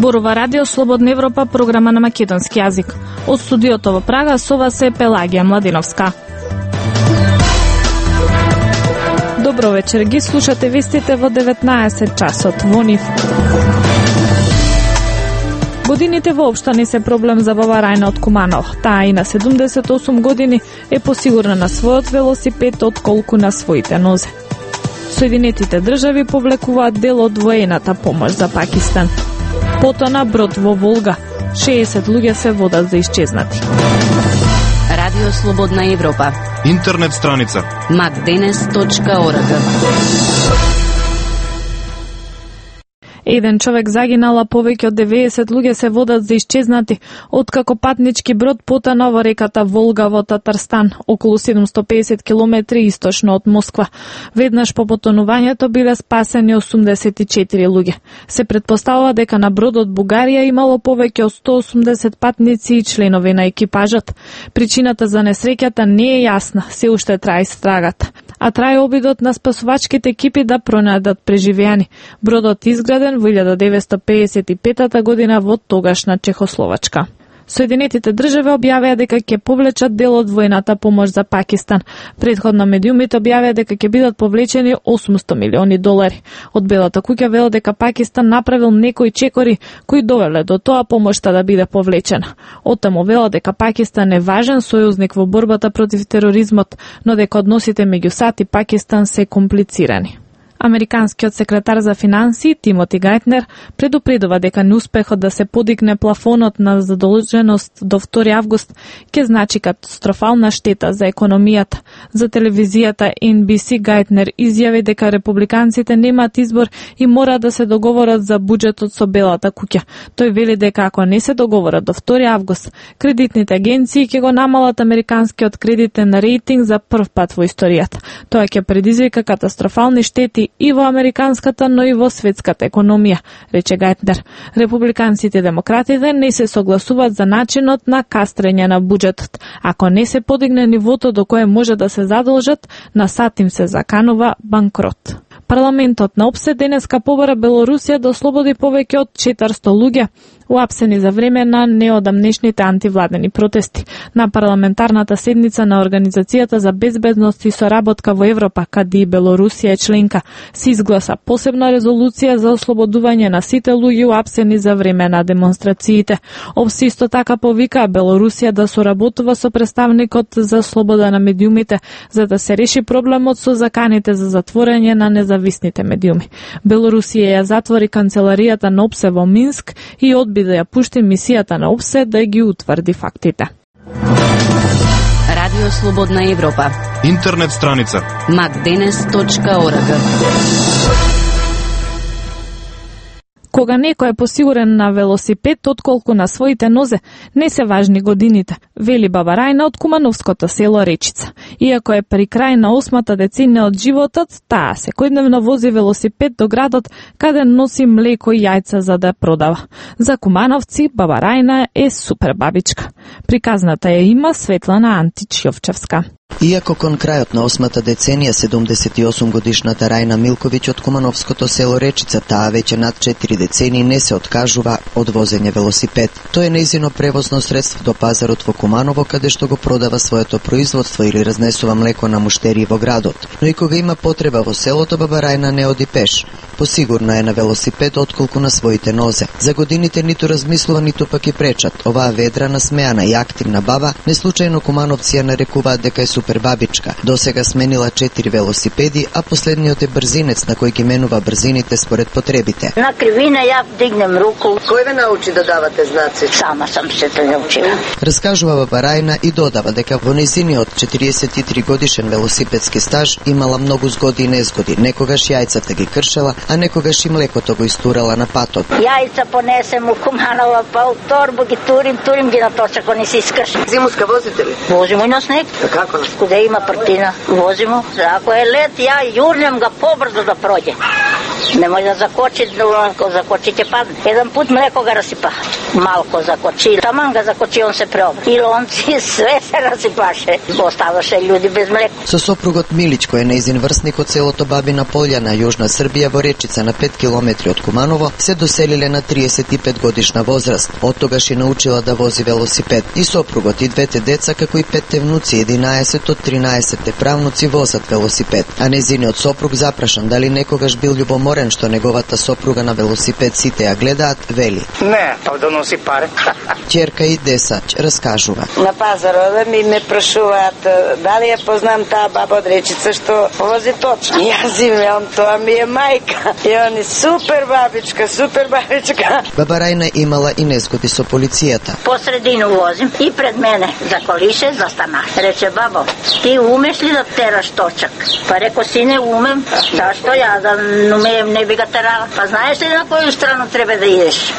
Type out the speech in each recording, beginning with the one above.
Зборува Радио Слободна Европа, програма на македонски јазик. Од студиото во Прага со вас е Пелагија Младиновска. Добро вечер, ги слушате вестите во 19 часот во НИФ. Годините воопшто не се проблем за баба Рајна од Куманово. Таа и на 78 години е посигурна на својот велосипед отколку на своите нозе. Соединетите држави повлекуваат дел од воената помош за Пакистан. Потона брод во Волга. 60 луѓе се водат за исчезнати. Радио Слободна Европа. Интернет страница macdenes.org. Еден човек загинал, а повеќе од 90 луѓе се водат за исчезнати откако патнички брод потона во реката Волга во Татарстан, околу 750 километри источно од Москва. Веднаш по потонувањето биле спасени 84 луѓе. Се претпоставува дека на бродот Бугарија имало повеќе од 180 патници и членови на екипажот. Причината за несреќата не е јасна, се уште трае истрагата. А трае обидот на спасувачките екипи да пронајдат преживеани. Бродот изграден во 1955 година во тогашна Чехословачка. Соединетите држави објавија дека ќе повлечат дел од воената помош за Пакистан. Претходно медиумите објавија дека ќе бидат повлечени $800 милиони. Од Белата куќа велат дека Пакистан направил некои чекори кои довеле до тоа помошта да биде повлечена. Оттаму велат дека Пакистан е важен сојузник во борбата против тероризмот, но дека односите меѓу САД и Пакистан се комплицирани. Американскиот секретар за финансии Тимоти Гајтнер предупредува дека неуспехот да се подигне плафонот на задолженост до 2 август ќе значи катастрофална штета за економијата. За телевизијата NBC Гајтнер изјави дека републиканците немаат избор и мора да се договорат за буџетот со Белата куќа. Тој вели дека ако не се договорат до 2 август, кредитните агенции ќе го намалат американскиот кредитен рейтинг за прв пат во историјата. Тоа ќе предизвика катастрофални штети и во американската, но и во светската економија, рече Гајтнер. Републиканците и демократите не се согласуваат за начинот на кастрење на буџетот. Ако не се подигне нивото до кое може да се задолжат, на САД им се заканува банкрот. Парламентот на ОПСЕ денеска побара Белорусија да ослободи повеќе од 400 луѓе уапсени за време на неодамнешните антивладени протести. На парламентарната седница на Организацијата за безбедност и соработка во Европа, каде и Белорусија е членка, се изгласа посебна резолуција за ослободување на сите луѓе уапсени за време на демонстрациите. ОПСЕ исто така повика Белорусија да соработува со представникот за слобода на медиумите, за да се реши проблемот со заканите за затворање на независните медиуми. Белорусија ја затвори канцеларијата на ОПСЕ во Минск и одби да ја пушти мисијата на ОПСЕ да ги утврди фактите. Радио Слободна Европа. Интернет страница macdenes.org. Кога некој е посигурен на велосипед отколку на своите нозе, не се важни годините, вели баба Рајна од кумановското село Речица. Иако е при крај на 8-та деценија од животот, таа секојдневно вози велосипед до градот каде носи млеко и јајца за да продава. За кумановци баба Рајна е супер бабичка. Приказната ја има Светлана Антич-Јовчевска. Иако кон крајот на 8-та деценија 78 годишната Рајна Милковиќ од кумановското село Речица, таа веќе над 4 децении не се откажува од возење велосипед. Тој е нејзино превозно средство до пазарот во Куманово, каде што го продава своето производство или разнесува млеко на муштерии во градот. Но и кога има потреба во селото, баба Рајна не оди пеш. Посигурна е на велосипед отколку на своите нозе. За годините ниту размислува, ниту пак и пречат. Оваа ведрана, смеана и активна баба неслучајно кумановци ја нарекуваат дека е супер бабичка. Досега сменила 4 велосипеди, а последниот е брзинец на кој ги менува брзините според потребите. На кривина ја дигнем руку. Кој ве научи да давате знаци? Сама сам се тоа научила. Раскажува баба Рајна и додава дека во нејзиниот 43 годишен велосипедски стаж имала многу згоди и незгоди. Некогаш јајцата ги кршела, а некогаш и млекото го истурала на патот. Јајца понесем у Куманова, па у торбу ги турим ги на точако не се искрши. Зимуска возите ли? Возимо и на снег. Како? Куде има партина, возимо. Ако е лет, ја јурнем ga побрзо да проđe. Немој да закочи, ако закочи ќе падне. Еден пут млеко ga расипа. малко закочи. Таман га закочи, он се преобра. И лонци, све се расипаше. Оставаше луѓе без млеко. Со сопругот Милич, кој е нејзин врсник од селото Бабина Полјана, Јужна Србија, во Речица на 5 километри од Куманово, се доселиле на 35 годишна возраст. Од тогаш и научила да вози велосипед. И сопругот и двете деца, како и 5 внуци, 11 од 13 правнуци возат велосипед. А нејзиниот сопруг, запрашан дали некогаш бил љубоморен што неговата сопруга на велосипед сите ја гледаат, вели: Не, па да носи пари. Ќерка и десач раскажува. На пазар ми ме прашуваат дали ја познам таа баба од Речица што вози точно. Јас им велам, тоа ми е мајка. И они супер бабичка, супер бабичка. Баба Рајна имала и незгоди со полицијата. Посредину возим и пред мене заколише, застана. Рече: бабо, ти умеш ли да тераш точак? Па реко: сине, умем. Зашто ја да умеем, не би га терала? Па знаеш ли на која страна треба да идеш?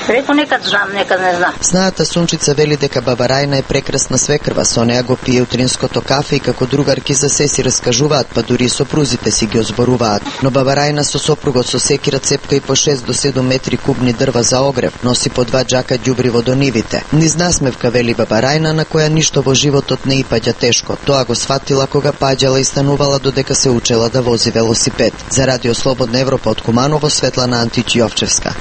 Реко: некад знам, некад не знам. Знаата Сунчица вели дека баба Рајна е прекрасна свекрва, со неа го пие утринското кафе и како другарки за се си раскажуваат, па дури и сопрузите си ги озборуваат. Но баба Рајна со сопругот со секира цепка и по 6 до 7 метри кубни дрва за огрев, носи по 2 џака ѓубриво до нивите. Низ насмевка, вели баба Рајна, на која ништо во животот не и паѓа тешко. Тоа го сфатила кога паѓала и станувала додека се учела да вози велосипед. За Радио Слободна Европа од Куманово, Светлана Антич-Јовчевска.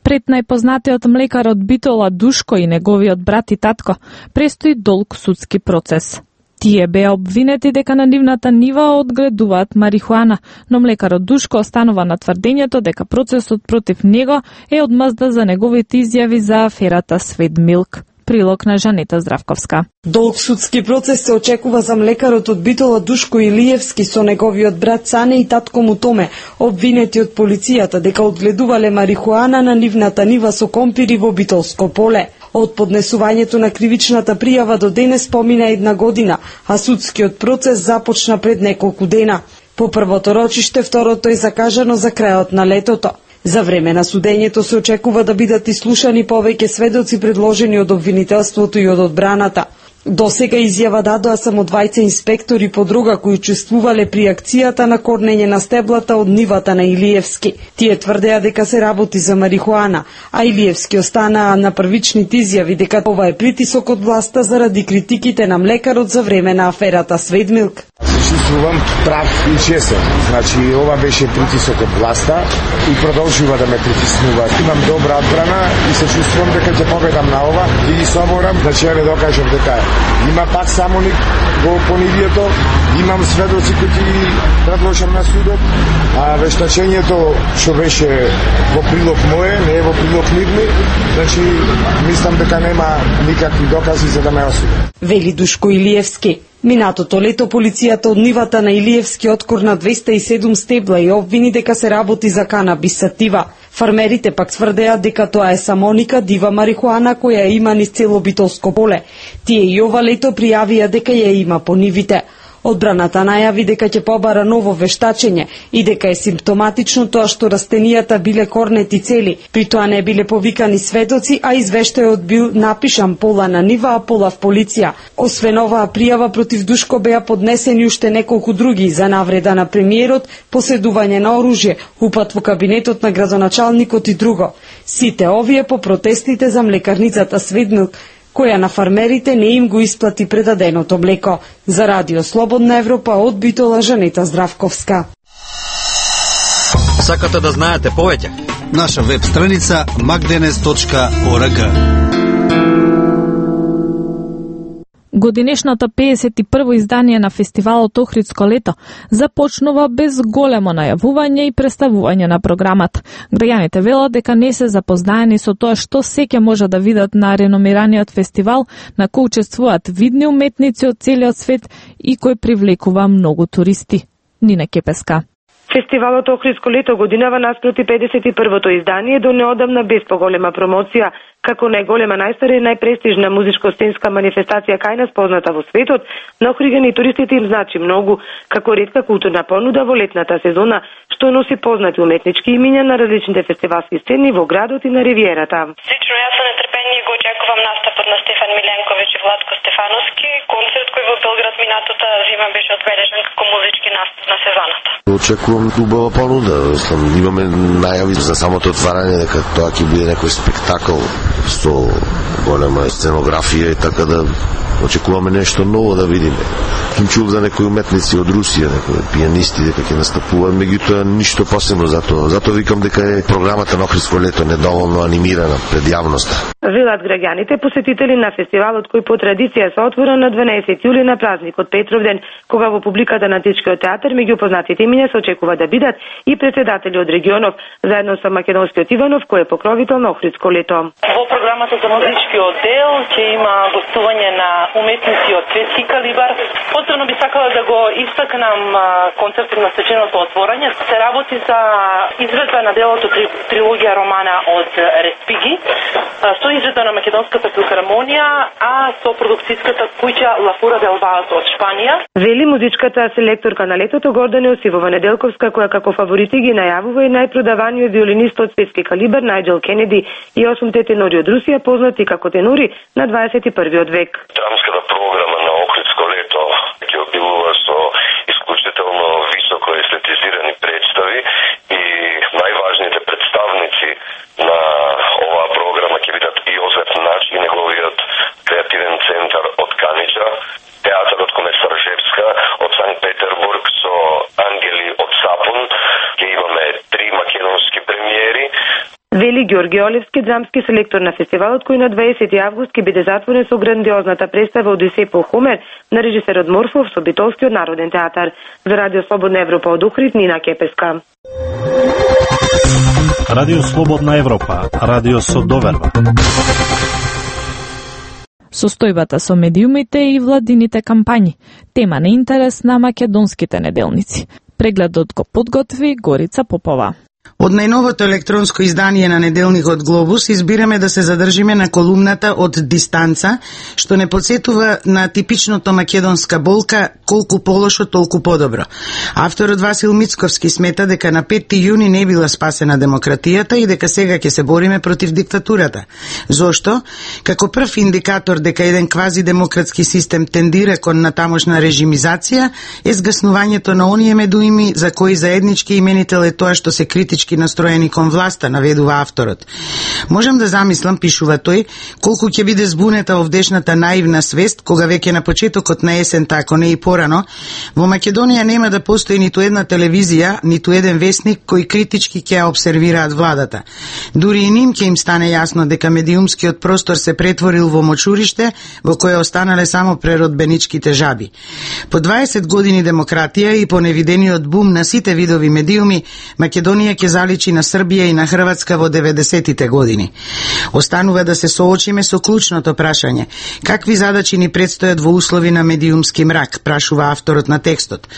Пред најпознатиот млекар од Битола Душко и неговиот брат и татко престои долг судски процес. Тие беа обвинети дека на нивната нива одгледуваат марихуана, но млекарот Душко останува на тврдењето дека процесот против него е одмазда за неговите изјави за аферата Свет Милк. Прилог на Жанета Здравковска. Долг судски процес се очекува за млекарот од Битола Душко Илиевски со неговиот брат Цане и татко му Томе, обвинети од полицијата дека одгледувале марихуана на нивната нива со компири во Битолско поле. Од поднесувањето на кривичната пријава до денес помина 1 година, а судскиот процес започна пред неколку дена. По првото рочиште, второто е закажано за крајот на летото. За време на судењето се очекува да бидат ислушани повеќе сведоци предложени од обвинителството и од одбраната. До сега изјава дадоа само 2 инспектори по дрога кои учествувале при акцијата на корнење на стеблата од нивата на Илиевски. Тие тврдеа дека се работи за марихуана, а Илиевски останаа на првичните изјави дека ова е притисок од власта заради критиките на млекарот за време на аферата Свет Милк. Чувствувам прав и честен. Значи, ова беше притисок од власта и продолжува да ме притиснува. Имам добра одбрана и се чувствувам дека ќе победам на ова и ги соборам да ќе ве докажам дека има пак самоник во понивието, имам сведоци кои ги предложам на судот, а вештачењето што беше во прилог моје, не е во прилог нивни, значи мислам дека нема никакви докази за да ме осудат. Вели Душко Илиевски. Минатото лето полицијата од нивата на Илиевски откорна 207 стебла и обвини дека се работи за канабис сатива. Фармерите пак тврдеа дека тоа е самоника дива марихуана која има низ цело Битолско поле. Тие и ова лето пријавија дека ја има по нивите. Одбраната најави дека ќе побара ново вештачење и дека е симптоматично тоа што растенијата биле корнети цели. При тоа не биле повикани сведоци, а извештајот бил напишан пола на нива, а пола в полиција. Освен оваа пријава против Душко беа поднесени уште неколку други за навреда на премиерот, поседување на оружје, упат во кабинетот на градоначалникот и друго. Сите овие по протестите за млекарницата Свет Милк, која на фармерите не им го исплати предаденото млеко. За Радио Слободна Европа од Битола, Жанета Здравковска. Сакате да знаете повеќе? Наша веб страница magdenes.org. Годинешното 51-во издание на фестивалот Охридско лето започнува без големо најавување и представување на програмата. Граѓаните велат дека не се запознаени со тоа што се ќе може да видат на реномираниот фестивал, на кој учествуваат видни уметници од целиот свет и кој привлекува многу туристи. Нина Кепеска. Фестивалот Охридско лето годинава наспроти 51-то издание до неодамна без поголема промоција, како најголема, најстара и најпрестижна музичко-сценска манифестација кај нас позната во светот. На Охриѓани и туристите им значи многу, како ретка културна понуда во летната сезона, што носи познати уметнички имиња на различните фестивалски сцени во градот и на ривиерата. Лично јас со нетрпение го очекувам настапот на Стефан Миленковиќ и Владко Стефановски, концерт кој во Белград минатата зима беше одбележан како музички настап на сезоната. Очекувам убава понуда. Имаме најави за самото отварање дека тоа ќе биде некој спектакл со голема сценографија и така да очекуваме нешто ново да видиме. Им чув за некои уметници од Русија, некои пијанисти дека ќе настапуваат, меѓутоа ништо посебно затоа викам дека е програмата на Охридско лето недоволно анимирана пред јавноста. Велат граѓаните посетители на фестивалот кој по традиција се отвора на 12 јули на празникот Петровден, кога во публиката на Античкиот театар меѓу познатите имиња се очекува да бидат и председатели од регионов, заедно со македонскиот Иванов кој е покровител на Охридско лето. Во програмата за музичкиот дел ќе има гостување на уметници од светски калибар. Посебно би сакала да го истакнам концертот на свеченото отворање. Се работи за изведба на делото трилогија романа од Респиги, со изведба на Македонската филхармонија, а со продукцијската куќа La Fura del Vals од Шпанија. Вели музичката селекторка на летото Гордана Јосифова Неделковска, која како фаворити ги најавува и најпродаваниот виолинист од светски калибар Најджел Кенеди и 8 тенори од Русија, познати како тенори на 21 век. Драмската програма на Охридско лето ќе обилува со исклучително високо естетизирани представи и најважните представници на оваа програма ќе бидат Јозеф Нач и неговиот креативен центар од Канича, театарот Комесар Жевска од Санкт Петербург со Ангели од Сапун, ќе имаме 3 македонски премиери. Вели Ѓорги Олевски, драмски селектор на фестивалот, кој на 20 август ќе биде затворен со грандиозната представа Одисеј по Хомер на режисерот Морфов со Битолскиот народен театар. За Радио Слободна Европа од Охрид, Нина Кепеска. Радио Слободна Европа, радио со доверба. Состојбата со медиумите и владините кампањи, тема на интерес на македонските неделници. Прегледот го подготви Горица Попова. Од најновото електронско издание на неделникот Глобус избираме да се задржиме на колумната од Дистанца, што не подсетува на типичното македонска болка колку полошо толку подобро. Авторот Васил Мицковски смета дека на 5 јуни не била спасена демократијата и дека сега ќе се бориме против диктатурата. Зошто? Како прв индикатор дека еден квазидемократски систем тендира кон натамошна режимизација е згаснувањето на оние медуими за кои заеднички именител е тоа што се критички настроени кон власта, наведува авторот. Можам да замислам, пишува тој, колку ќе биде збунета овдешната наивна свест, кога веќе на почетокот на есента, ако не и порано, во Македонија нема да постои ниту една телевизија, ниту еден весник кои критички ќе обсервираат владата. Дури и ним ќе им стане јасно дека медиумскиот простор се претворил во мочуриште, во кое останале само преродбеничките жаби. По 20 години демократија и по невидениот бум на сите видови медиуми, Македонија ќе заличи на Србија и на Хрватска во 90-тите години. Останува да се соочиме со клучното прашање. Какви задачи ни предстојат во услови на медиумски мрак, прашува авторот на текстот.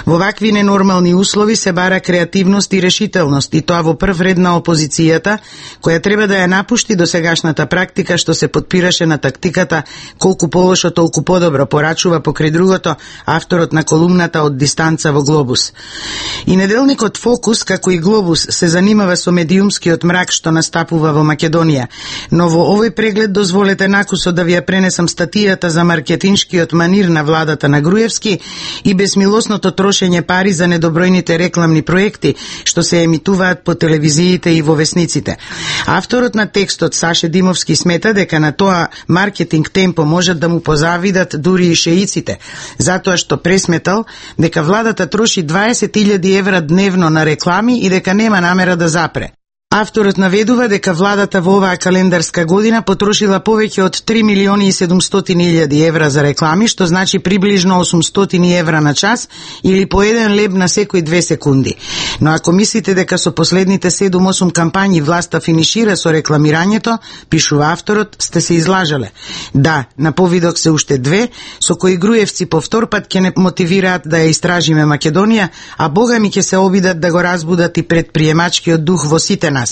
Во вакви ненормални услови се бара креативност и решителност, и тоа во прв ред на опозицијата, која треба да ја напушти досегашната практика што се подпираше на тактиката колку полошо толку подобро, порачува покрај другото авторот на колумната од Дистанца во Глобус. И неделникот Фокус, како и Глобус, се занимава со медиумскиот мрак што настапува во Македонија, но во овој преглед дозволете накусо да ви ја пренесам статијата за маркетиншкиот манир на владата на Груевски и безмилосното трошење пари за недобројните рекламни проекти што се емитуваат по телевизиите и во весниците. Авторот на текстот Саше Димовски смета дека на тоа маркетинг темпо можат да му позавидат дури и шеиците, затоа што пресметал дека владата троши 20.000 евра дневно на реклами и дека нема намера да запре. Авторот наведува дека владата во оваа календарска година потрошила повеќе од 3.700.000 евра за реклами, што значи приближно 800 евра на час или по 1 леб на секои 2 секунди. Но ако мислите дека со последните 7-8 кампањи власта финишира со рекламирањето, пишува авторот, сте се излажале. Да, на повидок се уште 2, со кои Груевци по втор пат ќе не мотивираат да ја истражиме Македонија, а богами ќе се обидат да го разбудат и предприемачкиот дух во сите нас.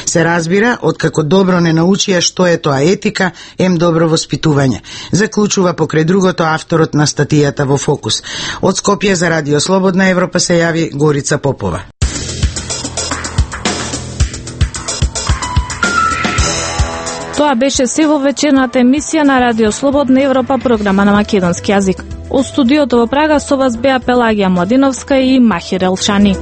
Се разбира, откако добро не научија што е тоа етика, добро воспитување. Заклучува покрај другото авторот на статијата во Фокус. Од Скопје за Радио Слободна Европа се јави Горица Попова. Тоа беше се во вечерната емисија на Радио Слободна Европа, програма на македонски јазик. Од студиото во Прага со вас беа Пелагија Младиновска и Махир Елшани.